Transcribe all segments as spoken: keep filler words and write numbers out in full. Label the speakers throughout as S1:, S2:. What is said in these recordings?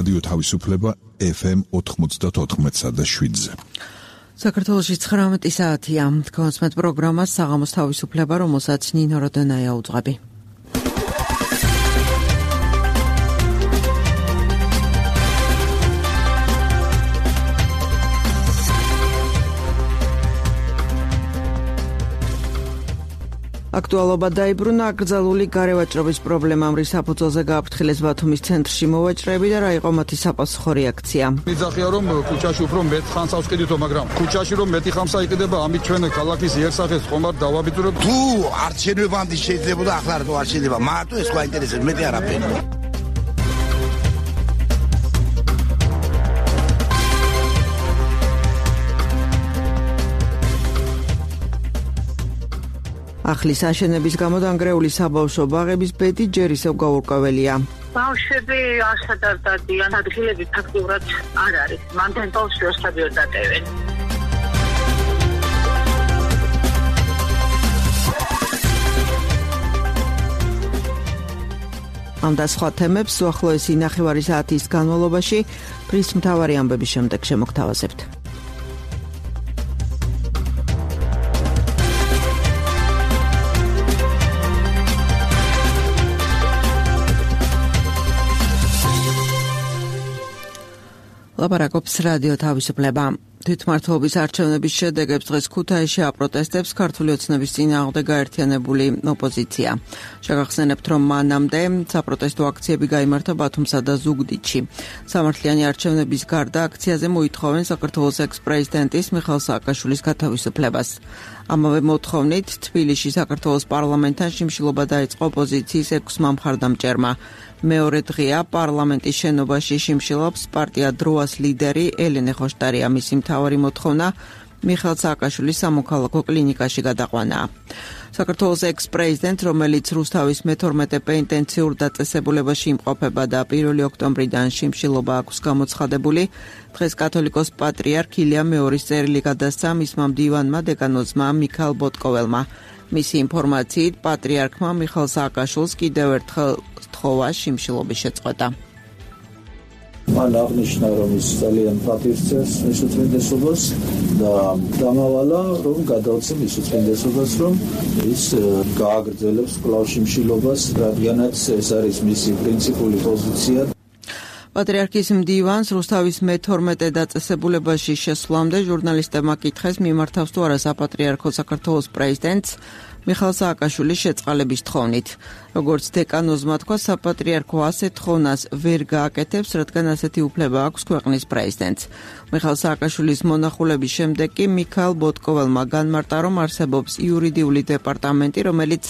S1: რადიო თავისუფლება ეფ ემ ოთხმოცდაოთხ და შვიდზე.
S2: საქართველოში ცხრამეტი საათია. თქვენს პროგრამას საღამოს თავისუფლება, რომელსაც ნინო როდენაია უძღვები. აქტუალობა დაიბრუნა აკრძალული გარევაჭრობის პრობლემამ, რის საფუძველზე გააფრთხილეს ბათუმის ცენტრში მოვაჭრეები და რა იყო მათი საპასუხო რეაქცია.
S3: მიზახია რომ ქუჩაში უფრო მეტ ხანს ავსყიდითო, მაგრამ ქუჩაში რომ მეტი ხანს აიყიდება, ამით ჩვენ ქალაქის იერსახეს ხომარ დავაბიძურებთ.
S4: თუ არჩევნებამდე შეიძლებოდა, ახლა რატო არ შეიძლება? მარტო ეს სხვა ინტერესებს, მეტი არაფერი.
S2: ახლის აშენების გამო დანგრეული საბავშვო ბაღების ბედი ჯერ ისევ გაურკვეველია.
S5: ბავშვები არსად არ დადიან, ადგილები ფაქტიურად არ არის. მანდ ბავშვი ორსაბიო დატევენ. ამ და სხვა თემებს უახლოესი ნახევარი საათის განმავლობაში დღის მთავარი ამბების შემდეგ შემოგთავაზებთ. ლაპარაკობს რადიო თავისუფლება. თვითმმართველობის არჩევნების შედეგებს დღეს ქუთაისში აპროტესტებს ქართული ოცნების წინააღმდეგ გაერთიანებული ოპოზიცია. შეგახსენებთ, რომ მანამდე საპროტესტო აქციები გაიმართა ბათუმსა და ზუგდიდში. სამართლიანი არჩევნების გარდა აქციაზე მოითხოვენ საქართველოს ექს-პრეზიდენტის მიხეილ სააკაშვილის გათავისუფლებას. ამავე მოთხოვნით თბილისში საქართველოს პარლამენტთან შიმშილობა დაიწყო ოპოზიციის ექვსმა მხარდამჭერმა. მეორე დღეა პარლამენტის შენობაში შიმშილობს პარტია დროას ლიდერი ელენე ხოშტარია. მისი მთავარი მოთხოვნა მიხეილ სააკაშვილის სამოქალაქო კლინიკაში გადაყვანა. საქართველოს ექს-პრეზიდენტ, რომელიც რუსთავის მეთორმეტე პენიტენციურ დაწესებულებაში იმყოფება და პირველი ოქტომბრიდან შიმშილობა აქვს გამოცხადებული, დღეს კათოლიკოს პატრიარქ ილია მეორის წერილი გადასცა მისმა მდივანმა დეკანოზმა მიქაილ ბოტკოველმა. მისი ინფორმაციით, პატრიარქმა მიხეილ სააკაშვილს კიდევ ერთხელ სთხოვა შიმშილობის შეწყვეტა.
S6: მან აღნიშნა, რომ ის ძალიან პატივცემს მის უწმინდესობას და დამავალა, რომ გადაოცე მის უწმინდესობას, რომ ის გააგრძელებს კვლავ შიმშილობას, რადგანაც ეს არის მისი პრინციპული პოზიცია.
S2: პატრიარქის მდივანს რუსთავის მეთორმეტე დაწესებულებაში შესვლამდე ჟურნალისტებმა კითხეს, მიმართავს თუ არა საპატრიარქო საქართველოს პრეზიდენტს მიხეილ სააკაშვილის შეწყალების თხოვნით. როგორც დეკანოზმა თქვა, საპატრიარქო ასეთ თხოვნას ვერ გააკეთებს, რადგან ასეთი უფლება აქვს ქვეყნის პრეზიდენტს. მიხეილ სააკაშვილის მონახულების შემდეგ კი მიქაილ ბოტკოველმა განმარტა, რომ არსებობს იურიდიული დეპარტამენტი, რომელიც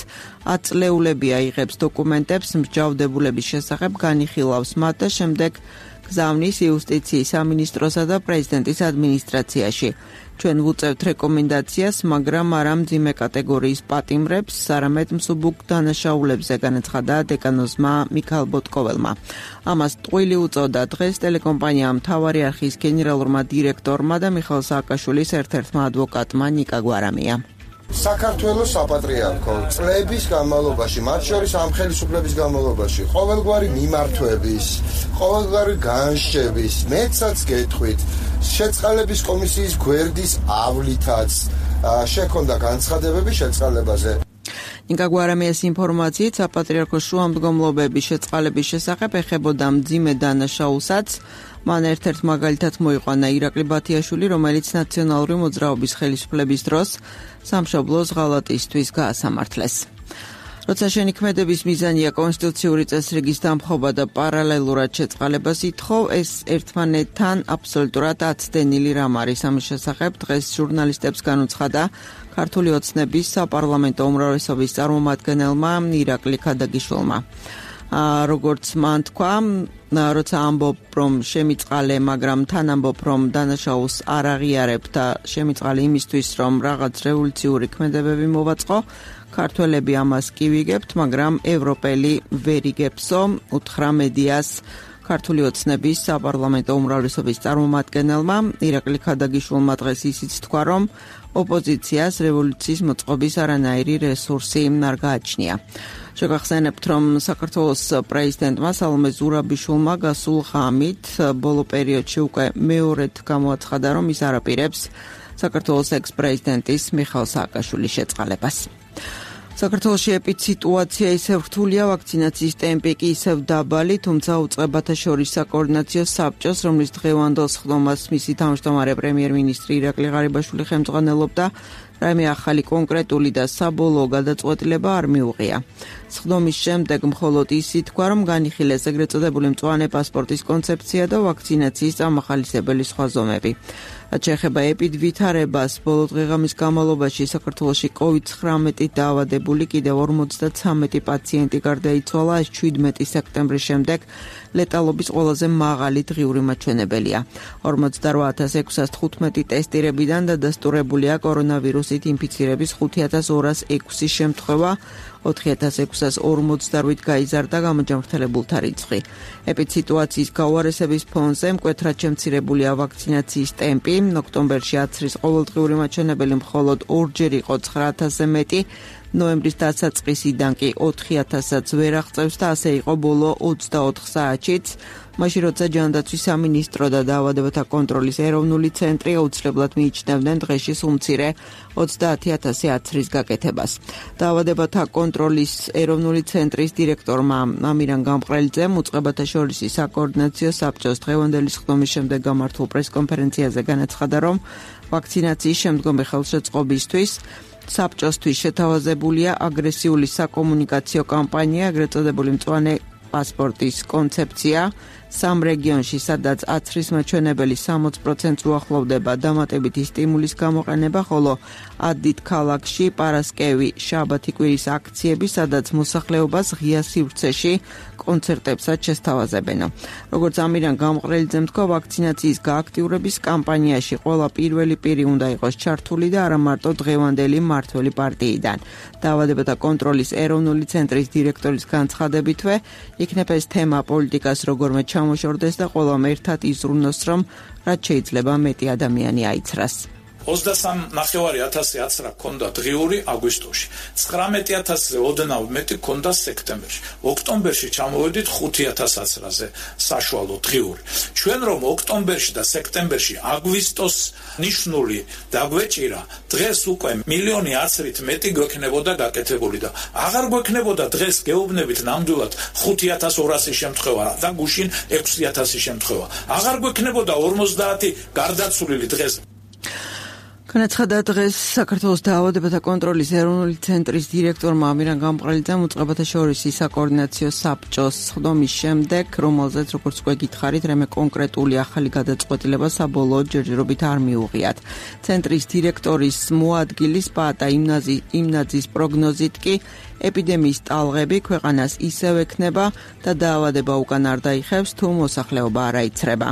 S2: აწლეულებია იღებს დოკუმენტებს მსჯავრდებულების შესახებ, განიხილავს მათ და შემდეგ გზავნის იუსტიციის სამინისტროსა და პრეზიდენტის ადმინისტრაციაში. ჩვენ ვუწევთ რეკომენდაციას, მაგრამ არა მძიმე კატეგორიის პატიმრებს, არამედ მსუბუქ დანაშაულებზე, განაცხადა დეკანოზმა მიქაილ ბოტკოველმა. ამას ტყვილი უწოდა დღეს ტელეკომპანია მთავარი არხის გენერალურმა დირექტორმა და მიხეილ სააკაშვილის ერთ-ერთმა ადვოკატმა ნიკა გვარამია.
S7: საქართველოს საპატრიარქო წლების განმავლობაში, მათ შორის ამ ხელისუფლების განმავლობაში, ყოველგვარი მიმართვების, ყოველგვარი განშების, მეცაც გეტყვით, შეწყალების კომისიის გვერდის ავლითაც შექონდა განცხადებები შეწყალებაზე.
S2: ნიკა გვარამიას ინფორმაციით, საპატრიარქოს შუამდგომლობების შეწყალების შესახებ ეხებოდა მძიმე დანაშაულსაც. მან ერთ-ერთ მაგალითად მოიყვანა ირაკლი ბათიაშვილი, რომელიც ნაციონალური მოძრაობის ხელისუფლების დროს სამშობლოს ღალატისთვის გაასამართლეს. როცა შენიქმედების მიზანია კონსტიტუციური წესრიგის დამხობა და პარალელურად შეწყალებას ითხოვ, ეს ერთმანეთთან აბსოლუტურად აცდენილი რამ არის. ამის შესახებ დღეს ჟურნალისტებს განუცხადა ქართული ოცნების საპარლამენტო უმრავლესობის წარმომადგენელმა ირაკლი ქადაგიშვილმა. როგორც მან თქვა, როცა ამბობ, რომ შემიწყალე, მაგრამ თან ამბობ, რომ დანაშაულს არ აღიარებ და შემიწყალე იმისთვის, რომ რაღაც რევოლუციური ქმედებები მოვაწყო, ქართველები ამას კი ვიგებთ, მაგრამ ევროპელი ვერ იგებსო, უთხრა მედიას ქართული ოცნების საპარლამენტო უმრავლესობის წარმომადგენელმა ირაკლი ქადაგიშვილმა დღეს ისიც თქვა, რომ ოპოზიციას რევოლუციის მოწყობის არანაირი რესურსი არ გააჩნია. შეგახსენებთ, რომ საქართველოს პრეზიდენტმა სალომე ზურაბიშვილმა გასულ ღამით ბოლო პერიოდში უკვე მეორედ გამოაცხადა, რომ ის არაპირებს საქართველოს ექს-პრეზიდენტის მიხაილ სააკაშვილის შეწყალებას. საქართველოში ეპიდსიტუაცია ისევ რთულია, ვაქცინაციის ტემპი კი ისევ დაბალი, თუმცა უწყებათა შორის საკოორდინაციო საბჭოს, რომლის დღევანდელ სხდომას მისი თავმჯდომარე პრემიერ-მინისტრი ირაკლი ღარიბაშვილი ხელმძღვანელობდა, რაიმე ახალი კონკრეტული და საბოლოო გადაწყვეტილება არ მიუღია. სხდომის შემდეგ მხოლოდ ის ითქვა, რომ განიხილეს ეგრეთ წოდებული მწვანე პასპორტის კონცეფცია და ვაქცინაციის წამახალისებელი სხვა ზომები. რაც შეეხება ეპიდვითარებას, ბოლო დღე-ღამის განმავლობაში საქართველოში კოვიდ ცხრამეტი დაავადებული კიდევ ორმოცდათვრამეტი პაციენტი გარდაიცვალა, ეს შვიდმეტი სექტემბრის შემდეგ ლეტალობის ყველაზე მაღალი დღიური მაჩვენებელია. ორმოცდარვა ათას ექვსას თხუთმეტი ტესტირებიდან დადასტურებულია კორონავირუსით ინფიცირების ხუთი ათას ორას ექვსი შემთხვევა, ოთხი ათას ექვსას ორმოცდარვით გაიზარდა გამოჯანმრთელებულთა რიცხვი. ეპიდსიტუაციის გაუარესების ფონზე მკვეთრად შემცირებულია ვაქცინაციის ტემპი. ოქტომბერში აცრის ყოველდღიური მაჩვენებელი მხოლოდ ორჯერ იყო ცხრა ათასზე მეტი, ნოემბრის დასაწყისიდან კი ოთხი ათასაც ვერ აღწევს და ასე იყო ბოლო ოცდაოთხ საათშიც. მაშინ როცა ჯანდაცვის სამინისტრო და დაავადებათა კონტროლის ეროვნული ცენტრი აუცილებლად მიიჩნევდნენ დღეში სულ-მცირე ოცდაათი ათასი აცრის გაკეთებას. დაავადებათა კონტროლის ეროვნული ცენტრის დირექტორმა ამირან გამყრელიძემ უწყებათა შორის საკოორდინაციო საბჭოს დღევანდელი სხდომის შემდეგ გამართულ პრესკონფერენციაზე განაცხადა, რომ ვაქცინაციის შემდგომი ხელშეწყობისთვის საბჭოსთვის შეთავაზებულია აგრესიული საკომუნიკაციო კამპანია, ეგრეთ წოდებული მწვანე პასპორტის კონცეფცია. სამ რეგიონში, სადაც აცრის მაჩვენებელი სამოც პროცენტს უახლოვდება, დამატებითი სტიმულის გამოყენება, ხოლო ათდიდ ქალაქში პარასკევი, შაბათი კვირის აქციები, სადაც მოსახლეობას ღია სივრცეში კონცერტებსაც შესთავაზებენ. როგორც ამირან გამყრელიძემ თქვა, ვაქცინაციის გააქტიურების კამპანიაში ყველა პირველი პირი უნდა იყოს ჩართული და არა მარტო დღევანდელი მმართველი პარტიიდან. დაავადებათა კონტროლის ეროვნული ცენტრის დირექტორის განცხადებითვე, იქნება ეს თემა პოლიტიკას როგორმე ჩამოშორდეს და ყველამ ერთად იზრუნოს, რომ რაც შეიძლება მეტი ადამიანი აიცრას.
S8: ოცდასამ ნახევარი ათასი აცრა ქონდა დღიური აგვისტოში, ცხრამეტი ათასზე ოდნავ მეტი ქონდა სექტემბერში. ოქტომბერში ჩამოვედით ხუთი ათას აცრაზე საშუალო დღიური. ჩვენ რომ ოქტომბერში და სექტემბერში აგვისტოს ნიშნული დაგვეჭირა, დღეს უკვე მილიონი აცრით მეტი გვექნებოდა გაკეთებული და აღარ გვექნებოდა დღეს გეუბნებით ნამდვილად ხუთი ათას ორასი შემთხვევა და გუშინ ექვსი ათასი შემთხვევა. აღარ გვექნებოდა ორმოცდაათი გარდაცვლილი დღეს.
S2: განაცხადა დღეს საქართველოს დაავადებათა კონტროლის ეროვნული ცენტრის დირექტორმა ამირან გამყრელიძემ უწყებათა შორის საკოორდინაციო საბჭოს სხდომის შემდეგ, რომელზეც როგორც უკვე გითხარით, რამე კონკრეტული ახალი გადაწყვეტილება საბოლოო ჯერჯერობით არ მიუღიათ. ცენტრის დირექტორის მოადგილის პაატა იმნაძის პროგნოზით კი ეპიდემიის ტალღები ქვეყანას ისევ ექნება და დაავადება უკან არ დაიხევს, თუ მოსახლეობა არ აიცრება.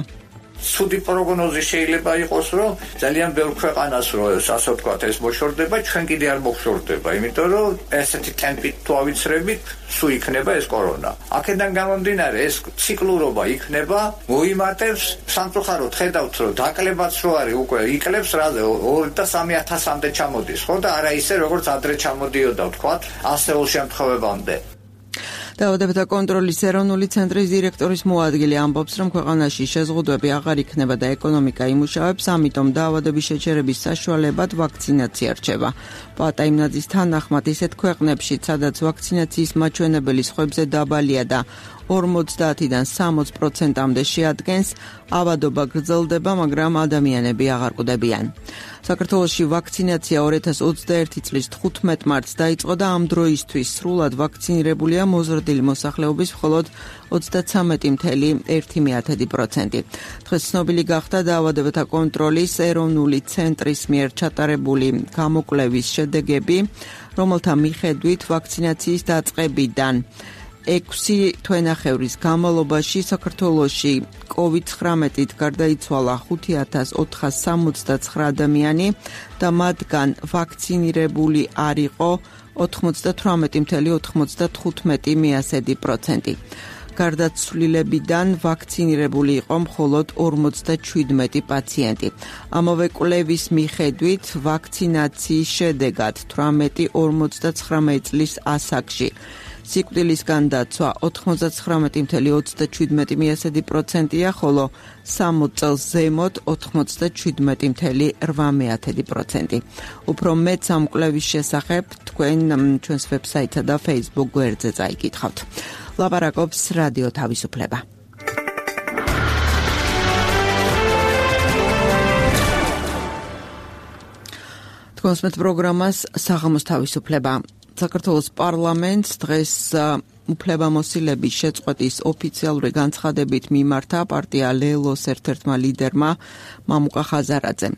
S9: ცუდი პროგნოზი შეიძლება იყოს, რომ ძალიან ბევრ ქვეყანას რო ასე ვთქვათ, ეს მოშორდება, ჩვენ კიდე არ მოხსორდება, იმიტომ რომ ესეთი ტემპით თუ ავიცრებით, სულ იქნება ეს კორონა. აქედან გამომდინარე, ეს ციკლურობა იქნება, მოიმატებს, სამწუხაროდ ხედავთ, რომ დაკლებაც რო არის, უკვე იკლებს რაზე ორი და სამი ათასამდე ჩამოდის, ხო და არა ისე როგორც ადრე ჩამოდიოდა, ვთქვათ, ასეულ შემთხვევებამდე.
S2: დაავადებათა კონტროლის ეროვნული ცენტრის დირექტორის მოადგილე ამბობს, რომ ქვეყანაში შეზღუდვები აღარ იქნება და ეკონომიკა იმუშავებს, ამიტომ დაავადების შეჩერების საშუალებად ვაქცინაცია რჩება. პაატა იმნაძის თანახმად, ისეთ ქვეყნებში, სადაც ვაქცინაციის მაჩვენებელი სხვებზე დაბალია და ორმოცდაათიდან სამოც პროცენტამდე შეადგენს, ავადობა გრძელდება, მაგრამ ადამიანები აღარ კვდებიან. საქართველოში ვაქცინაცია ორი ათას ოცდაერთი წლის თხუთმეტ მარტს დაიწყო და ამ დროისთვის სრულად ვაქცინირებულია მოზრდილი მოსახლეობის მხოლოდ ოცდათვრამეტი კoma ერთი პროცენტი. დღეს ცნობილი გახდა დაავადებათა კონტროლის ეროვნული ცენტრის მიერ ჩატარებული გამოკვლევის შედეგები, რომელთა მიხედვით ვაქცინაციის დაწყებიდან ექვსი თვენახევრის განმავლობაში საქართველოში კოვიდ ცხრამეტით გარდაიცვალა ხუთი ათას ოთხას სამოცდაცხრა ადამიანი და მათგან ვაქცინირებული არ იყო ოთხმოცდათვრამეტი კoma ოცდათხუთმეტი პროცენტი. გარდაცვლილებიდან ვაქცინირებული იყო მხოლოდ ორმოცდაშვიდმეტი პაციენტი. ამავე კვლევის მიხედვით ვაქცინაციის შედეგად თვრამეტი ორმოცდაცხრამეტი წლის ასაკში სიკვდილის განდაცვა ოთხმოცდაცხრამეტი წუთი ოცდაშვიდმეტი პროცენტია, ხოლო სამოცი წელს ზემოთ ოთხმოცდაშვიდმეტი წუთი ორმოცდაოთხი პროცენტი. უფრო მეტს ამ კვლევის შესახებ თქვენ ჩვენს ვებსაიტსა და Facebook გვერდზე წაიკითხავთ. ლაპარაკობს რადიო თავისუფლება. თქვენს პროგრამას საღამოს თავისუფლება. საქართველოს პარლამენტს დღეს უფლებამოსილების შეწყვეტის ოფიციალური განცხადებით მიმართა პარტია ლელოს ერთ-ერთმა ლიდერმა მამუკა ხაზარაძემ.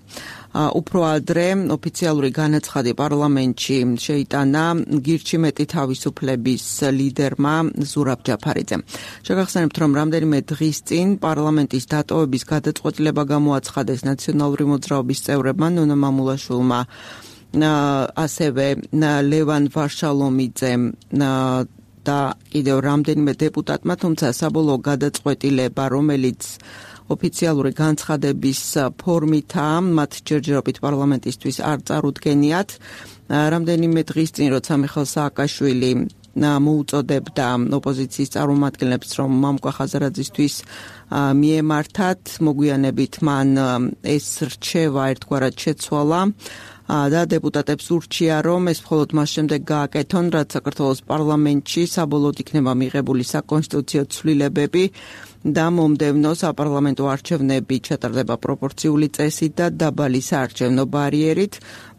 S2: უფრო ადრე ოფიციალური განაცხადი პარლამენტში შეიტანა გირჩი მეტი თავისუფლების ლიდერმა ზურაბ ჯაფარიძემ. შეგახსენებთ, რომ რამდენიმე დღის წინ პარლამენტის დატოვების გადაწყვეტილება გამოაცხადეს ნაციონალური მოძრაობის წევრებმა ნონა მამულაშვილმა ასევე ლევან ვარშალომიძემ და კიდევ რამდენიმე დეპუტატმა, თუმცა საბოლოო გადაწყვეტილება, რომელიც ოფიციალური განცხადების ფორმითაა, მათ ჯერჯერობით პარლამენტისთვის არ წარუდგენიათ. რამდენიმე დღის წინ, როცა მიხეილ სააკაშვილი მოუწოდებდა ოპოზიციის წარმომადგენლებს, რომ მამუკა ხაზარაძისთვის მიემართათ, მოგვიანებით მან ეს რჩევა ერთგვარად შეცვალა და დეპუტატებს ურჩია, რომ ეს მხოლოდ მას შემდეგ გააკეთონ, რაც საქართველოს პარლამენტში საბოლოოდ იქნება მიღებული საკონსტიტუციო ცვლილებები და მომდევნო საპარლამენტო არჩევნები ჩატარდება პროპორციული წესით და დაბალი საარჩევნო ბარიერით.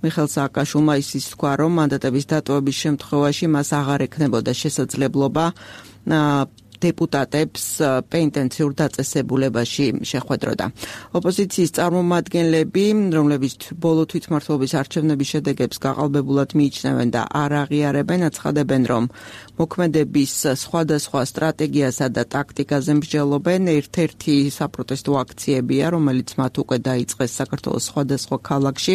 S2: მიხეილ სააკაშვილმა ისიც თქვა, რომ მანდატების დატოვების შემთხვევაში მას აღარ ექნებოდა შესაძლებლობა დეპუტატებს პენტენციურ დაწესებულებაში შეხვედროდა. ოპოზიციის წარმომადგენლები, რომლებიც ბოლო თვითმმართველობის არჩევნების შედეგებს გაყალბებულად მიიჩნევენ და არ აღიარებენ, აცხადებენ, რომ მოქმედების სხვადასხვა სტრატეგიასა და ტაქტიკაზე მსჯელობენ. ერთ-ერთი საპროტესტო აქციებია, რომელიც მათ უკვე დაიწყეს საქართველოს სხვადასხვა ქალაქში.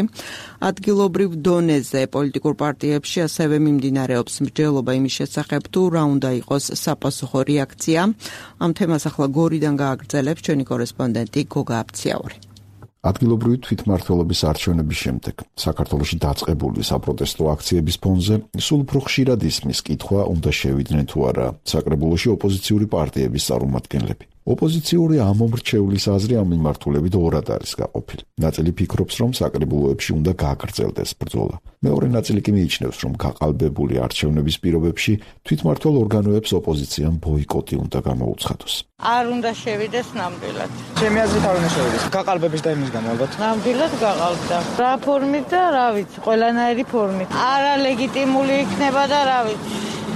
S2: ადგილობრივ დონეზე პოლიტიკურ პარტიებში ასევე მიმდინარეობს მსჯელობა იმის შესახებ, თუ რა უნდა იყოს საპასუხო რეაქცია. ამ თემას ახლა გორიდან გააგრძელებს ჩვენი კორესპონდენტი გოგა აფციაური.
S1: ადგილობრივი თვითმმართველობის არჩევნების შემდეგ საქართველოში დაწყებული საპროტესტო აქციების ფონზე სულ უფრო ხშირად ისმის კითხვა, უნდა შევიდნენ თუ არა საკრებულოში ოპოზიციური პარტიების წარმომადგენლები. ოპოზიციური ამომრჩევლის აზრი ამ მიმართულებით ორად არის გაყოფილი. ნაწილი ფიქრობს, რომ საკრებულოებში უნდა გააგრძელდეს ბრძოლა. მეორე ნაწილი კი მიიჩნევს, რომ გაყალბებული არჩევნების პირობებში თვითმმართველ ორგანოებს ოპოზიციამ ბოიკოტი უნდა გამოუცხადოს.
S10: არ უნდა შევიდეს ნამდვილად.
S11: ჩემი აზრით არ უნდა შევიდეს. გაყალბების და იმის გამო ალბათ.
S10: ნამდვილად გაყალბდა. რა ფორმით და რა ვიცი, ყველანაირი ფორმით. არა ლეგიტიმული იქნება და რა ვიცი.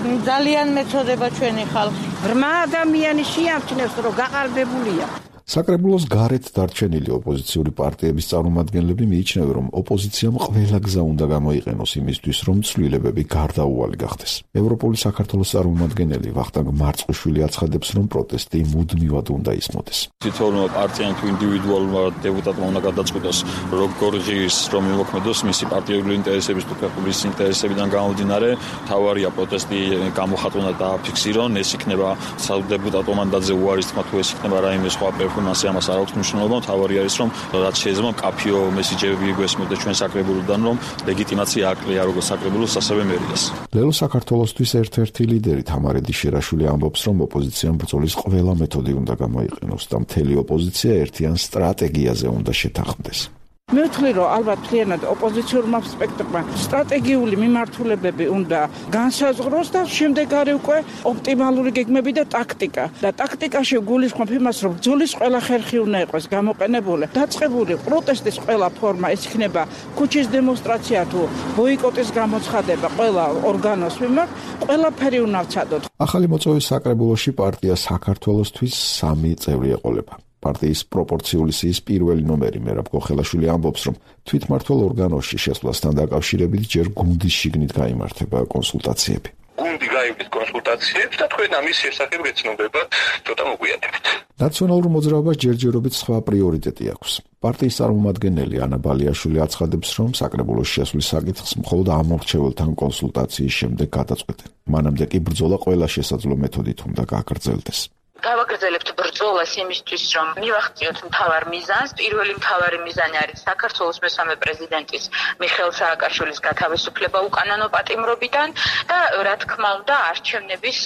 S10: ძალიან მეწოდება ჩვენი ხალხი.
S12: რმა ადამიანი შეამჩნევს, რომ გაყალბებულია.
S1: საკრებულოს გარეთ დარჩენილი ოპოზიციური პარტიების წარმომადგენლები მიიჩნევენ, რომ ოპოზიციამ ყველა გზა უნდა გამოიყენოს იმისთვის, რომ ცვლილებები გარდაუვალი გახდეს. ევროპული საქართველოს წარმომადგენელი ვახტანგ მარწყუშვილი აცხადებს, რომ პროტესტი მუდმივად უნდა ისმოდეს.
S13: თითოეულმა პარტიამ თუ ინდივიდუალურმა დეპუტატმა უნდა გადაწყვიტოს, როგორ ღირს რომ იმოქმედოს მისი პარტიული ინტერესების თუ ქვეყნის ინტერესებიდან გამომდინარე, თავარია პროტესტი გამოხატონ და დააფიქსირონ. ეს იქნება სადეპუტატო მანდატზე უარის თქმა, თუ ეს იქნება რაიმე სხვა მასე ამას არ აქვს მნიშვნელობა. მთავარი არის, რომ რაც შეიძლება მკაფიო მესიჯები გვესმოდა ჩვენ საკრებულოდან, რომ ლეგიტიმაცია აკლია როგორც საკრებულოს, ასევე მერიას.
S1: ლელო საქართველოსთვის ერთ-ერთი ლიდერი თამარედი შერაშვილი ამბობს, რომ ოპოზიციამ ბრძოლის ყველა მეთოდი უნდა გამოიყენოს და მთელი ოპოზიცია ერთიან სტრატეგიაზე უნდა შეთანხმდეს.
S12: მე ვთვლი, რომ ალბათ მთლიანად ოპოზიციურმა სპექტრმა სტრატეგიული მიმართულებები უნდა განსაზღვროს და შემდეგ არის უკვე ოპტიმალური გეგმები და ტაქტიკა. და ტაქტიკაში გულისხმობ იმას, რომ ბრძოლის ყველა ხერხი უნდა იყოს გამოყენებული. დაწყებული პროტესტის ყველა ფორმა, ეს იქნება ქუჩის დემონსტრაცია თუ ბოიკოტის გამოცხადება ყველა ორგანოს მიმართ, ყველაფერი უნდა ვცადოთ.
S1: ახალი მოწვევის საკრებულოში პარტია საქართველოსთვის სამი წევრი ეყოლება. პარტიის პროპორციული სიის პირველი ნომერი მერაბ გოხელაშვილი ამბობს, რომ თვითმმართველ ორგანოში შესვლასთან დაკავშირებით ჯერ გუნდის შიგნით გაიმართება კონსულტაციები.
S14: გუნდი გაიგებს კონსულტაციებს და თქვენ ამის შესახებ გეცნობება ცოტა მოგვიანებით.
S1: ნაციონალურ მოძრაობას ჯერჯერობით სხვა პრიორიტეტი აქვს. პარტიის წარმომადგენელი ანა ბალიაშვილი აცხადებს, რომ საკრებულოს შესვლის საკითხს მხოლოდ ამორჩეველთან კონსულტაციის შემდეგ გადაწყვეტენ. მანამდე კი ბრძოლა ყველა შესაძლო მეთოდით უნდა გააგრძელდეს.
S15: გავაგრძელებთ ბრძოლას იმისთვის, რომ მივახციოთ მთავარ მიზანს. პირველი მთავარი მიზანი არის საქართველოს მესამე პრეზიდენტის მიხეილ სააკაშვილის გათავისუფლება უკანონო პატიმრობიდან და რა თქმა უნდა არჩევნების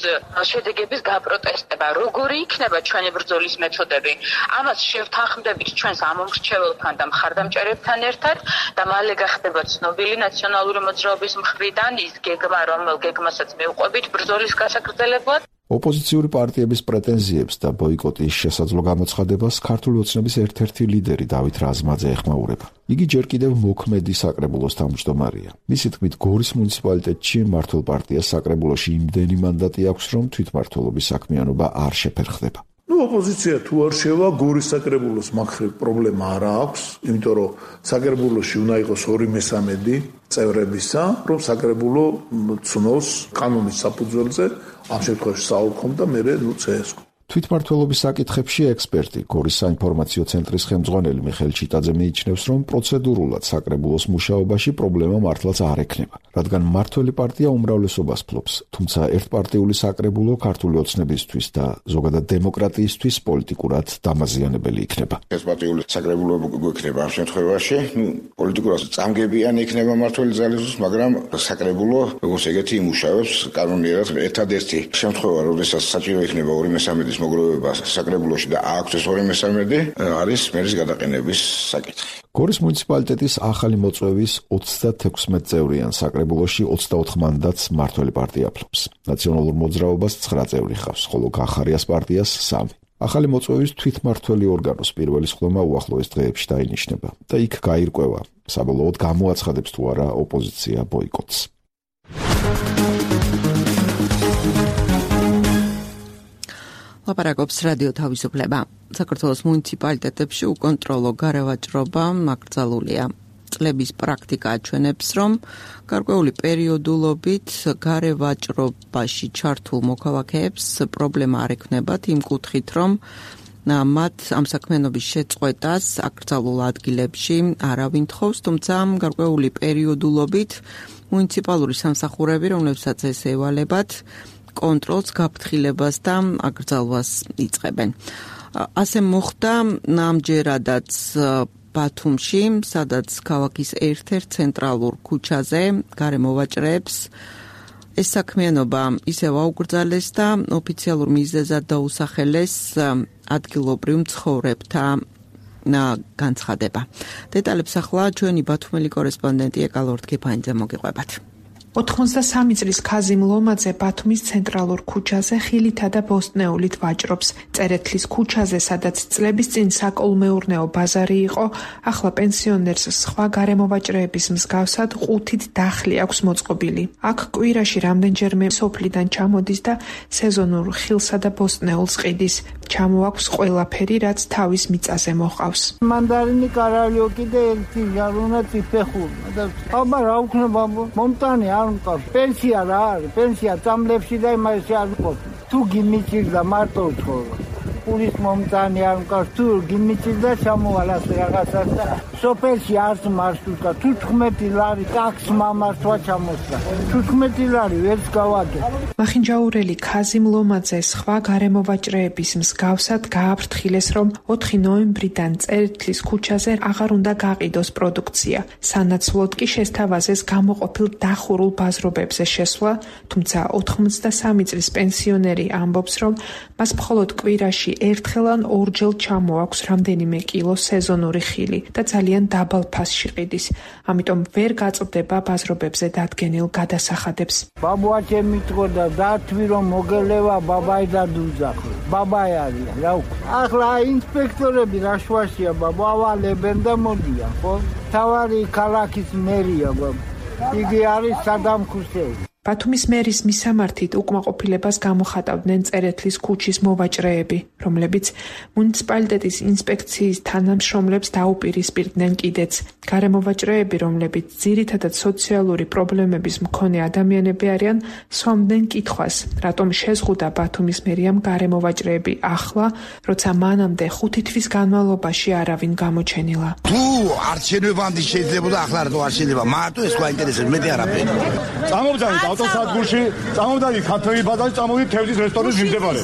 S15: შედეგების გაპროტესტება. როგორი იქნება ჩვენი ბრძოლის მეთოდები? ამას შევთანხმდებით ჩვენს ამომრჩეველთან და მხარდამჭერებთან ერთად და მალე გახდება ცნობილი ნაციონალური მოძრაობის მხრიდან ის გეგმა, რომელ გეგმასაც მივყვებით ბრძოლის გასაგრძელებლად.
S1: ოპოზიციური პარტიების პრეტენზიებს და ბოიკოტის შესაძლო გამოცხადებას ქართული ოცნების ერთ-ერთი ლიდერი დავით რაზმაძე ეხმაურება. იგი ჯერ კიდევ მოქმედი საკრებულოს თავმჯდომარეა. მისი თქმით, გორის მუნიციპალიტეტში მმართველ პარტიას საკრებულოში იმდენი მანდატი აქვს, რომ თვითმმართველობის საქმიანობა არ შეფერხდება.
S16: Ну, ოპოზიცია თუ არ შევა, გორის საკრებულოს მაგხრივ პრობლემა არ აქვს, იმიტომ რომ საკრებულოში უნდა იყოს ორი მესამედი წევრებისა, რომ საკრებულო ცნოს კანონის საფუძველზე ამ შემთხვევაში საოლქომ და მერე ნუ ცესკო.
S1: თვითმმართველობის საკითხებში ექსპერტი, გორის საინფორმაციო ცენტრის ხელმძღვანელი მიხეილ ჩიტაძე მიიჩნევს, რომ პროცედურულად საკრებულოს მუშაობაში პრობლემა მართლაც არ ექნება, რადგან მმართველი პარტია უმრავლესობას ფლობს, თუმცა ერთპარტიული საკრებულო ქართული ოცნებისთვის და ზოგადად დემოკრატიისთვის პოლიტიკურად დამაზიანებელი იქნება.
S17: ერთპარტიული საკრებულო გვექნება ამ შემთხვევაში, ნუ პოლიტიკურად წამგებიანი იქნება მმართველი ძალისთვის, მაგრამ საკრებულო როგორც ეგეთი იმუშავებს კანონიერად. ერთადერთი შემთხვევა, როდესაც საჭირო იქნება ორი მესამედის მოგროვება საკრებულოში და აქვს ეს ორი მესამედი, არის მერის გადაყენების საკითხი.
S1: გორის მუნიციპალიტეტის ახალი მოწვევის ოცდათექვსმეტ წევრიან საკრებულოში ოცდაოთხ მანდატს მმართველი პარტია ფლობს. ნაციონალურ მოძრაობას ცხრა წევრი ჰყავს, ხოლო გახარიას პარტიას სამი. ახალი მოწვევის თვითმმართველი ორგანოს პირველი სხდომა უახლოეს დღეებში დაინიშნება და იქ გაირკვევა, საბოლოოდ გამოაცხადებს თუ არა ოპოზიცია ბოიკოტს.
S2: ლაპარაკობს რადიო თავისუფლება. საქართველოს მუნიციპალიტეტებში უკონტროლო გარევაჭრობა მაკრძალულია. წლების პრაქტიკა აჩვენებს, რომ გარკვეული პერიოდულობით გარევაჭრობაში ჩართულ მოქალაქეებს პრობლემა არ ექნებათ იმ კუთხით, რომ მათ ამ საქმიანობის შეწყვეტას აკრძალულ ადგილებში არავინ თხოვს, თუმცა გარკვეული პერიოდულობით მუნიციპალური სამსახურები, რომლებსაც ეს ევალებათ, კონტროლს, გაფრთხილებას და აკრძალვას იწყებენ. ასე მოხდა ამჯერადაც ბათუმში, სადაც ქალაქის ერთ-ერთ ცენტრალურ ქუჩაზე გარემოვაჭრეებს ეს საქმიანობა ისევ აუკრძალეს და ოფიციალურ მიზეზად დაუსახელეს ადგილობრივ მცხოვრებთა განცხადება. დეტალებს ახლა ჩვენი ბათუმელი კორესპონდენტი ეკალორდ კიფანიძე მოგიყვებათ.
S18: ოთხმოცდასამი წლის ქაზიმ ლომაძე ბათუმის ცენტრალურ ქუჩაზე ხილითა და ბოსტნეულით ვაჭრობს. წერეთლის ქუჩაზე, სადაც წლების წინ საკოლმეურნეო ბაზარი იყო, ახლა პენსიონერს სხვა გარემოვაჭრეების მსგავსად ყუთით დახლი აქვს მოწყობილი. აქ კვირაში რამდენჯერმე სოფლიდან ჩამოდის და სეზონურ ხილსა და ბოსტნეულს ყიდის. ჩამოაქვს ყველაფერი, რაც თავის მიწაზე მოყავს.
S19: მანდარინი, კარალიო კიდე ერთი ჟარუნა წიფეხური. და აბა რა უქნება მომტანი არ მყავს. პენსია რა არის? პენსია წამლებში და იმაში არ მყავს. თუ გიმიჭირდა მარტო ცხოვრა. პურის მომტანი არ მყავს. თუ გიმიჭირდა ჩამოვალას რაღაცას და სოფელში არც მარშრუტა. თუ თხმეტი ლარი ტაქსს მამართვა ჩამოსვლა. თუ თხმეტი ლარი ვერც გავაგებ.
S18: მახინჯაურელი ქაზიმ ლომაძე სხვა გარემოვაჭრეების მსგავსად გააფრთხილეს, რომ ოთხი ნოემბრიდან წერეთლის ქუჩაზე აღარ უნდა გაყიდოს პროდუქცია. სანაცვლოდ კი შესთავაზეს გამოყოფილ დახურულ ბაზრობებზე შესვლა, თუმცა ოთხმოცდასამი წლის პენსიონერი ამბობს, რომ მას მხოლოდ კვირაში ერთხელ ან ორჯერ ჩამოაქვს რამდენიმე კილო სეზონური ხილი და ძალიან დაბალ ფასში ყიდის. ამიტომ ვერ გაწვდება ბაზრობებზე დადგენილ გადასახადებს.
S19: ბაბუაჩე მიტყოდა დათვი რომ მოგელევა ბაბაი და დუძახო. ბაბაი არის რა უკვე. ახლა ინსპექტორები რა შვაშია ბაბა ავალებენ და მოდიან, ხო? თავარი ქალაქის მერია ბაბა. იგი არის სადამ ხუსეინი.
S18: ბათუმის მერის მისამართით უკმაყოფილებას გამოხატავდნენ წერეთლის ქუჩის მოვაჭრეები. რომლებიც მუნიციპალიტეტის ინსპექციის თანამშრომლებს დაუპირისპირდნენ კიდეც. გარემოვაჭრეები, რომლებიც ძირითადად სოციალური პრობლემების მქონე ადამიანები არიან, სვამდნენ კითხვას, რატომ შეზღუდა ბათუმის მერიამ გარემოვაჭრეები ახლა, როცა მანამდე ხუთი თვის განმავლობაში არავინ გამოჩენილა.
S4: თუ არჩევნებამდე შეიძლება ახლა რატო არ შეიძლება? მარტო ეს ყვა ინტერესებს, მეტი არაფერი.
S20: წამოვდანით ავტოსადგურში, წამოვდანით ქართული ბაზარი, წამოვიდით თევზის რესტორნის მიმდებარე.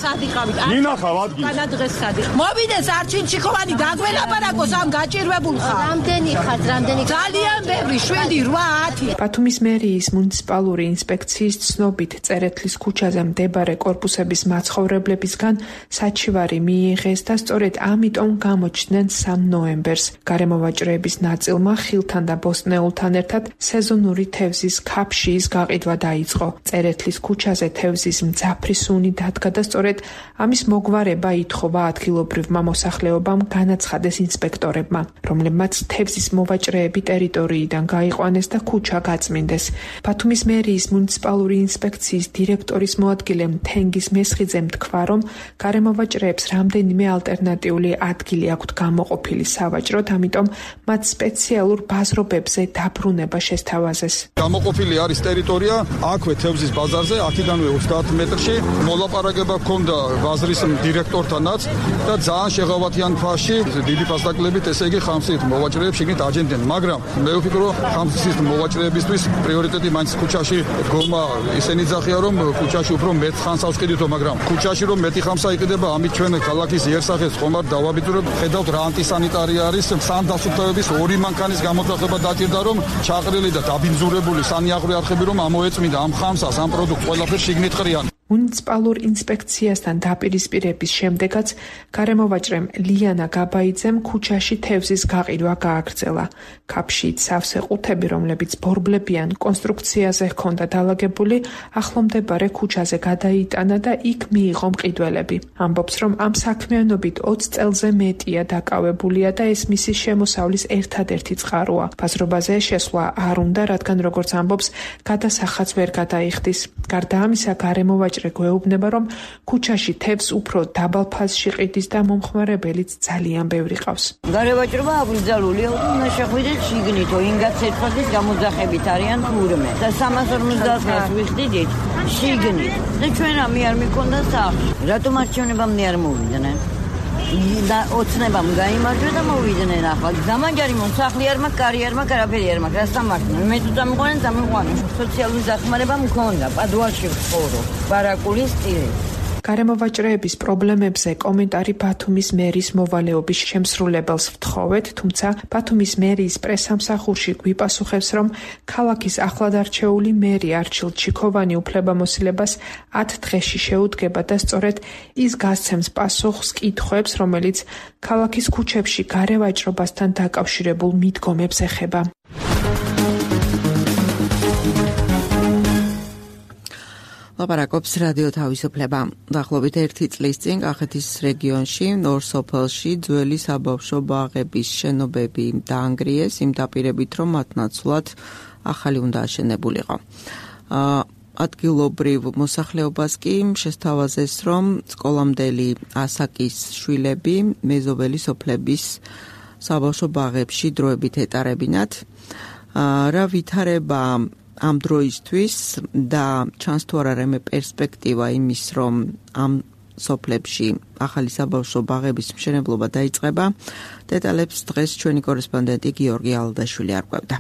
S20: ნინახავ ადგილს.
S21: განადგეს სადი. მოვიდეს არჩინჩიკოვანი დაგველაპარაკოს ამ გაჭირვებულ ხარ. რამდენი ხარ, რამდენი? ძალიან ბევრი, შვიდი, რვა, ათი.
S18: ბათუმის მერიის მუნიციპალური ინსპექციის ცნობით წერეთლის ქუჩაზე მდებარე კორპუსების მაცხოვრებლებისგან საჩივარი მიიღეს და სწორედ ამიტომ გამოჩნდნენ სამ ნოემბერს. გარემოვაჭრეების ნაწილმა ხილთან და ბოსტნეულთან ერთად სეზონური თევზის ქაფშიის გაყიდვა დაიწყო. წერეთლის ქუჩაზე თევზის მძაფრი სუნი დადგა და სწორედ ამის მოგვარება ითხოვა ადგილობრივმა მოსახლეობამ განაცხადეს ინსპექტორებმა, რომლებმაც თევზის მოვაჭრეები ტერიტორიიდან გაიყვანეს და ქუჩა გაწმინდეს. ბათუმის მერიის მუნიციპალური ინსპექციის დირექტორის მოადგილე თენგის მესხიძემ თქვა, რომ გარემოვაჭრეებს რამდენიმე ალტერნატიული ადგილი აქვთ გამოყოფილი სავაჭროდ, ამიტომ მათ სპეციალურ ბაზრობებზე დაბრუნება შესთავაზეს.
S3: გამოყოფილი არის ტერიტორია აქვე თევზის ბაზარზე, აქედანვე ოცდაათ მეტრში. მოლაპარაკება ჰქონდა ბაზრის დირექტორთანაც და ძალიან შეღავათიან ფასში დიდი ფასდაკლებით, ესე იგი ხამსით მოვაჭრეებს შეგნით აჯენდნენ, მაგრამ მე ვფიქრობ, რომ ხამსის მოვაჭრეებისთვის პრიორიტეტი მაინც ქუჩაში დგომა ისენი ძახია, რომ ქუჩაში უფრო მეტ ხანს ავსყიდითო, მაგრამ ქუჩაში რომ მეტი ხანს აიყიდება, ამით ჩვენ ქალაქის იერსახეს ხომარ დავაბიძურებთ. ხედავთ რა ანტისანიტარია არის, სანდასუფთავების ორი მანქანის გამოძახება დაჭირდა, რომ ჩაყრილი და დაბინძურებული სანიაღვრე არხები რომ ამოეწმინდა ამ ხამსას, ამ პროდუქტს ყველაფერს შიგნით ყრიან.
S18: მუნიციპალურ ინსპექციასთან დაპირისპირების შემდეგაც გარემოვაჭრემ ლიანა გაბაიძემ ქუჩაში თევზის გაყიდვა გააგრძელა. ქაფშით სავსე ყუთები, რომლებიც ბორბლებიან კონსტრუქციაზე ჰქონდა დალაგებული, ახლომდებარე ქუჩაზე გადაიტანა და იქ მიიღო მყიდველები. ამბობს, რომ ამ საქმიანობით ოცი წელზე მეტია დაკავებულია და ეს მისი შემოსავლის ერთადერთი წყაროა. ბაზრობაზე შესვლა არ უნდა, რადგან როგორც ამბობს, გადასახადს ვერ გადაიხდის. გარდა ამისა, გარემოვაჭრე გვეუბნება, რომ ქუჩაში თევზს უფრო დაბალ ფაზში ყიდის და მომხმარებელიც ძალიან ბევრი ყავს.
S22: გარემოვაჭრება აბრძალულია, უნდა შეხვიდეთ შიგნითო, ინგაც ერთხელ გამოძახებით არიან თურმე და სამას ორმოცდაათს ვიხდით შიგნით და ჩვენ ამი არ მიქონდა სახლში. რატომ არჩევნებამდე არ მოვიდნენ? და ოცნებამ გაიმარჯვა და მოვიდნენ ახლა. დამანჯარი მოსახლე არ მაქვს, კარი არ მაქვს, არაფერი არ მაქვს. რასთან მართლა? მე თუ დამიყვანენ, დამიყვანენ. სოციალური დახმარება მქონდა, პადუალში ვცხოვრობ, ბარაკულის ტირე.
S18: გარემოვაჭრეების პრობლემებზე კომენტარი ბათუმის მერის მოვალეობის შემსრულებელს ვთხოვეთ, თუმცა ბათუმის მერიის პრესამსახურში გვიპასუხებს, რომ ქალაქის ახლადარჩეული მერი არჩილ ჩიქოვანი უფლებამოსილებას ათ დღეში შეუდგება და სწორედ ის გასცემს პასუხს კითხვებს, რომელიც ქალაქის ქუჩებში გარევაჭრობასთან დაკავშირებულ მიდგომებს ეხება.
S2: ლაპარაკობს რადიო თავისუფლება. დაახლოებით ერთი წლის წინ კახეთის რეგიონში, ორ სოფელში ძველი საბავშვო ბაღების შენობები დაანგრიეს, იმ დაპირებით, რომ მათ ნაცვლად ახალი უნდა აშენებულიყო. ადგილობრივ მოსახლეობას კი შესთავაზეს, რომ სკოლამდელი ასაკის შვილები მეზობელი სოფლების საბავშვო ბაღებში დროებით ეტარებინათ. რა ვითარება ამ დროისთვის და ჩანს თუ არა რამე პერსპექტივა იმის, რომ ამ სოფლებში ახალი საბავშვო ბაღების მშენებლობა დაიწყება, დეტალებს დღეს ჩვენი კორესპონდენტი გიორგი ალდაშვილი არკვევდა.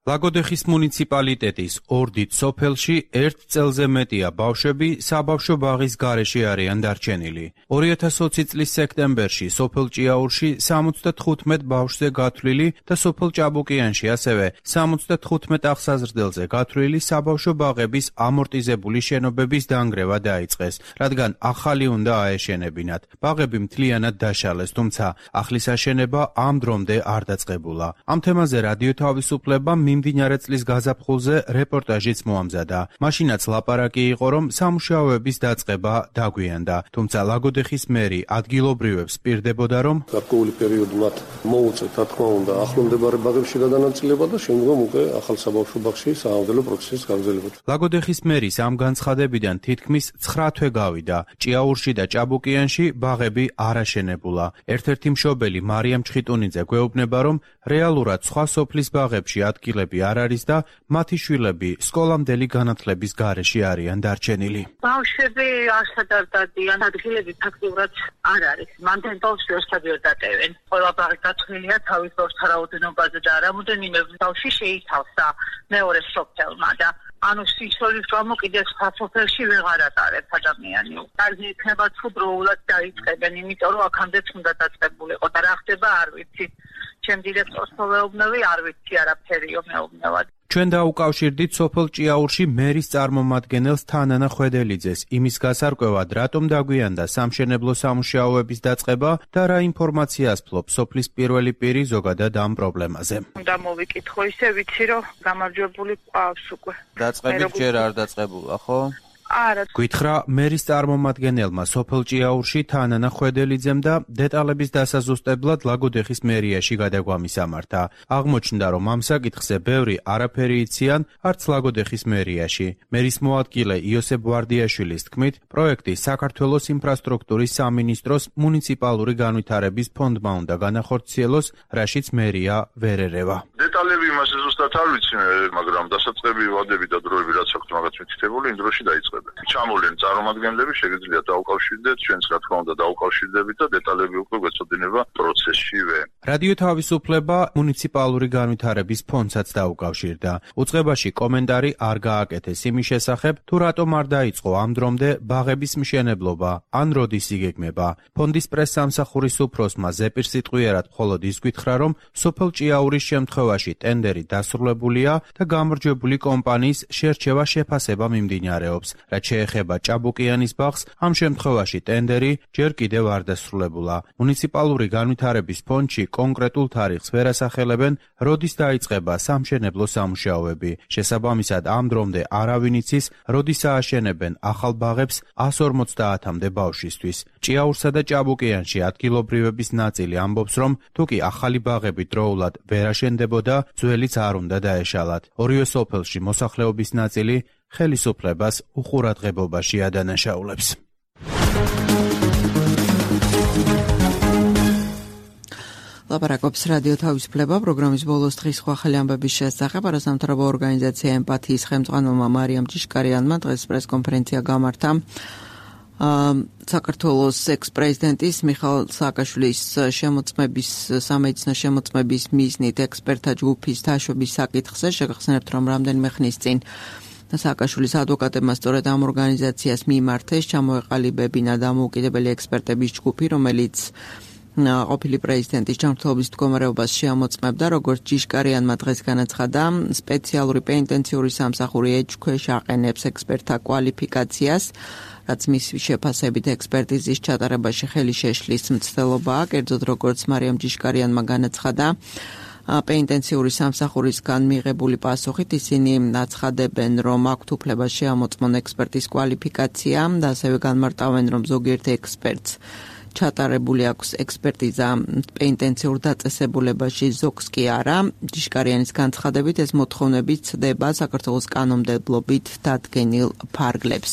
S23: ლაგოდეხის მუნიციპალიტეტის ორდით სოფელში ერთ წელზე მეტია ბავშვები საბავშვო ბაღის გარეშე არიან დარჩენილი. ორი ათას ოცი წლის სექტემბერში სოფელ ჭიაურში სამოცდათხუთმეტ ბავშვზე გათვლილი და სოფელ ჭაბუკიანში ასევე სამოცდათხუთმეტ აღსაზრდელზე გათვლილი საბავშვო ბაღების ამორტიზებული შენობების დანგრევა დაიწყეს, რადგან ახალი უნდა აეშენებინათ. ბაღები მთლიანად დაშალეს, თუმცა ახლის აშენება ამ დრომდე არ დაწყებულა. ამ თემაზე რადიო თავისუფლება მიმდინარე წლის გაზაფხულზე რეპორტაჟიც მოამზადა. მაშინაც ლაპარაკი იყო, რომ სამუშაოების დაწყება დაგვიანდა, თუმცა ლაგოდეხის მერი ადგილობრივებს პირდებოდა, რომ
S5: გარკვეული პერიოდი მათ მოუწევთ, რა თქმა უნდა, ახლომდებარე ბაღებში გადანაწილება და შემდგომ უკვე ახალ საბავშვო ბაღში საავადმყოფო პროცესის გაგრძელება.
S23: ლაგოდეხის მერის ამ განცხადებიდან თითქმის ცხრა თვე გავიდა. ჭიაურში და ჭაბუკიანში ბაღები არ აშენებულა. ერთ-ერთი მშობელი მარიამ ჩხიტუნიძე გვეუბნება, რომ რეალურად სხვა სოფლის ბაღებში ადგილები არ არის და მათი შვილები სკოლამდელი განათლების გარეშე არიან დარჩენილი.
S15: ბავშვები არსად არ დადიან, ადგილები ფაქტიურად არ არის. მანდელ ბავშვს ერთადიოდ დატევენ. ყველა ბაღი გათვლილია თავის ბავშვთა რაოდენობაზე და რამოდენიმე ბავშვი შეითავსა მეორე სოფელმა და ანუ სიცოცხლის გამო კიდე სხვა სოფელში ვეღარ ატარებს ადამიანი. კარგი იქნება თუ დროულად დაიწყებენ, იმიტომ რომ აქამდეც უნდა დაწყებულიყო და რა ხდება არ ვიცი. ჩემ დირექტორს მოვეუბნები, არ ვიცი არაფერიო მეუბნებად.
S23: ჩვენ დაუკავშირდით სოფელ ჭიაურში მერის წარმომადგენელს თანანა ხვედელიძეს იმის გასარკვევად, რატომ დაგვიანდა სამშენებლო სამუშაოების დაწყება და რა ინფორმაციას ფლობს სოფლის პირველი პირი ზოგადად ამ პრობლემაზე.
S12: უნდა მოვიკითხო, ისე ვიცი, რომ გამარჯვებული ყავს უკვე.
S23: დაწყებით ჯერ არ დაწყებულა, ხო?
S12: არა.
S23: გითხრა მერის წარმომადგენელმა სოფელ ჭიაურში თანანა ხვედელიძემ და დეტალების დასაზუსტებლად ლაგოდეხის მერიაში გადაგვამისამართა. აღმოჩნდა, რომ ამ საკითხზე ბევრი არაფერი იციან არც ლაგოდეხის მერიაში. მერის მოადგილე იოსებ ვარდიაშვილის თქმით, პროექტი საქართველოს ინფრასტრუქტურის სამინისტროს მუნიციპალური განვითარების ფონდმა უნდა განახორციელოს, რაშიც მერია ვერ ერევა.
S6: დეტალები იმას ზუსტად არ ვიცი, მაგრამ დასაწყები ვადები და დროები რაც აქვს მაგაც მითითებული, იმ დროში დაიწყება. ჩამოვლენ წარმომადგენლები, შეგიძლიათ დაუკავშირდეთ, ჩვენც რა თქმა უნდა დაუკავშირდებით და დეტალები უკვე გვეცოდინება პროცესშივე.
S23: რადიო თავისუფლება მუნიციპალური განვითარების ფონდსაც დაუკავშირდა. უწყებაში კომენტარი არ გააკეთეს იმის შესახებ, თუ რატომ არ დაიწყო ამ დრომდე ბაღების მშენებლობა, ან როდის იგეგმება. ფონდის პრესსამსახურის უფროსმა ზეპირ სიტყვიერად მხოლოდ ის გითხრა, რომ სოფელ ჭიაურის შემთხვევაში ტენდერი დასრულებულია და გამარჯვებული კომპანიის შერჩევა შეფასება მიმდინარეობს. რაც შეეხება ჭაბუკიანის ბაღს, ამ შემთხვევაში ტენდერი ჯერ კიდევ არ დასრულებულა. მუნიციპალური განვითარების ფონდში კონკრეტულ თარიღს ვერ ასახელებენ, როდის დაიწყება სამშენებლო სამუშაოები. შესაბამისად, ამ დრომდე არავინ იცის, როდის ააშენებენ ახალ ბაღებს εκατს ორმოცდაათამდე ბავშვისთვის. ჭიაურსა და ჭაბუკიანში ადგილობრივების ნაწილი ამბობს, რომ თუ კი ახალი ბაღები დროულად ვერ აშენდებოდა, ძველიც არ უნდა დაეშალათ. ორივე სოფელში მოსახლეობის ნაწილი ხელისუფლებას უყურადღებობაში ადანაშაულებს.
S2: ლაპარაკობს რადიო თავისუფლება პროგრამის ბოლოს დღის სხვა ხელი ამბების შესახებ. არასამთავრობო ორგანიზაცია ემპათიის ხელმძღვანელმა მარიამ ჭიშკარიანმა დღეს პრესკონფერენცია გამართა. საქართველოს ექს-პრეზიდენტის მიხაილ სააკაშვილის შემოწმების სამედიცინო შემოწმების მიზნით ექსპერტთა ჯგუფის თაშვების საკითხზე შეგახსენებთ, რომ რამდენიმე ხნის წინ სააკაშვილის ადვოკატებმა სწორედ ამ ორგანიზაციას მიმართეს ჩამოეყალიბებინა დამოუკიდებელი ექსპერტების ჯგუფი, რომელიც ყოფილი პრეზიდენტის ჯანმრთელობის მდგომარეობას შეამოწმებდა, როგორც ჭიშკარიანმა დღეს განაცხადა, სპეციალური პენიტენციური სამსახური ეჭქვეშ აყენებს ექსპერტთა კვალიფიკაციას, რაც მისი შეფასებით ექსპერტიზის ჩატარებაში ხელი შეშლის მცდელობაა, კერძოდ როგორც მარიამ ჭიშკარიანმა განაცხადა, პენიტენციური სამსახურისგან მიღებული პასუხით ისინი აცხადებენ, რომ აქვთ უფლება შეამოწმონ ექსპერტის კვალიფიკაცია და ასევე განმარტავენ, რომ ზოგიერთ ექსპერტს ჩატარებული აქვს ექსპერტიზა პენიტენციურ დაწესებულებაში, ზოგს კი არა. ჭიშკარიანის განცხადებით ეს მოთხოვნები ცდება საქართველოს კანონმდებლობით დადგენილ ფარგლებს.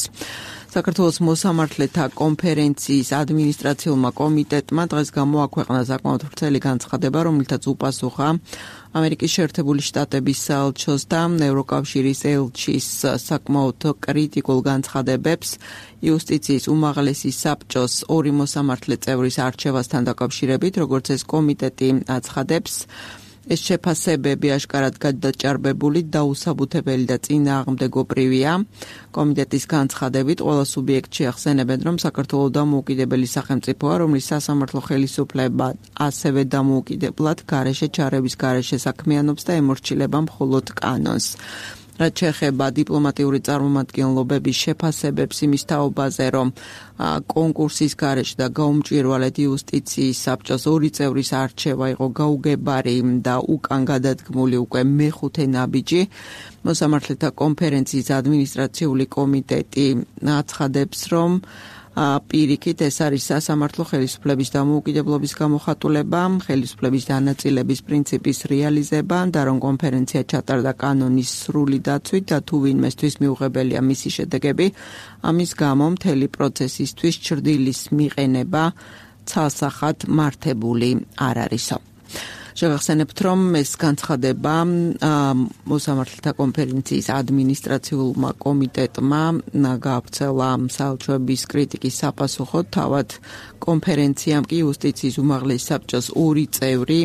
S2: საქართველოს მოსამართლეთა კონფერენციის ადმინისტრაციულმა კომიტეტმა დღეს გამოაქვეყნა საკმაოდ ვრცელი განცხადება, რომელთაც უპასუხა ამერიკის შეერთებული შტატების საელჩოს და ევროკავშირის ელჩის საკმაოდ კრიტიკულ განცხადებებს იუსტიციის უმაღლესი საბჭოს ორი მოსამართლე წევრის არჩევასთან დაკავშირებით, როგორც ეს კომიტეტი აცხადებს. ეს შეფასებები აშკარად გადაჭარბებული, დაუსაბუთებელი და წინააღმდეგობრივია. კომიტეტის განცხადებით ყველა სუბიექტი ახსენებენ, რომ საქართველოს დამოუკიდებელი სახელმწიფოა, რომლის სასამართლო ხელისუფლება ასევე დამოუკიდებლად გარეშე ჩარევის გარეშე საქმიანობს და ემორჩილება მხოლოდ კანონს. რაც შეეხება დიპლომატიური წარმომადგენლობების შეფასებებს იმის თაობაზე, რომ კონკურსის გარეშე და გაუმჭვირვალედ იუსტიციის საბჭოს ორი წევრის არჩევა იყო გაუგებარი და უკან გადადგმული უკვე მეხუთე ნაბიჯი. მოსამართლეთა კონფერენციის ადმინისტრაციული კომიტეტი აცხადებს, რომ პირიქით ეს არის სასამართლო ხელისუფლების დამოუკიდებლობის გამოხატულება, ხელისუფლების დანაწილების პრინციპის რეალიზება და რომ კონფერენცია ჩატარდა კანონის სრული დაცვით და თუ ვინმესთვის მიუღებელია მისი შედეგები, ამის გამო მთელი პროცესისთვის ჩრდილის მიყენება ცალსახად მართებული არ არისო. შევახსენებთ, რომ ეს განცხადება მოსამართლეთა კონფერენციის ადმინისტრაციულმა კომიტეტმა გაავრცელა საელჩოების კრიტიკის საპასუხოდ, თავად კონფერენციამ კი იუსტიციის უმაღლესი საბჭოს ორი წევრი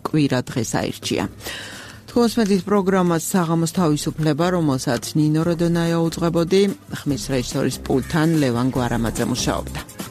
S2: კვირა დღეს აირჩია. თქოსმეთის პროგრამას საღამოს თავისუფლება, რომელსაც ნინო როდონაია უძღვებოდი, ხმის რეჟისორის პულტთან ლევან გვარამაძე მუშაობდა.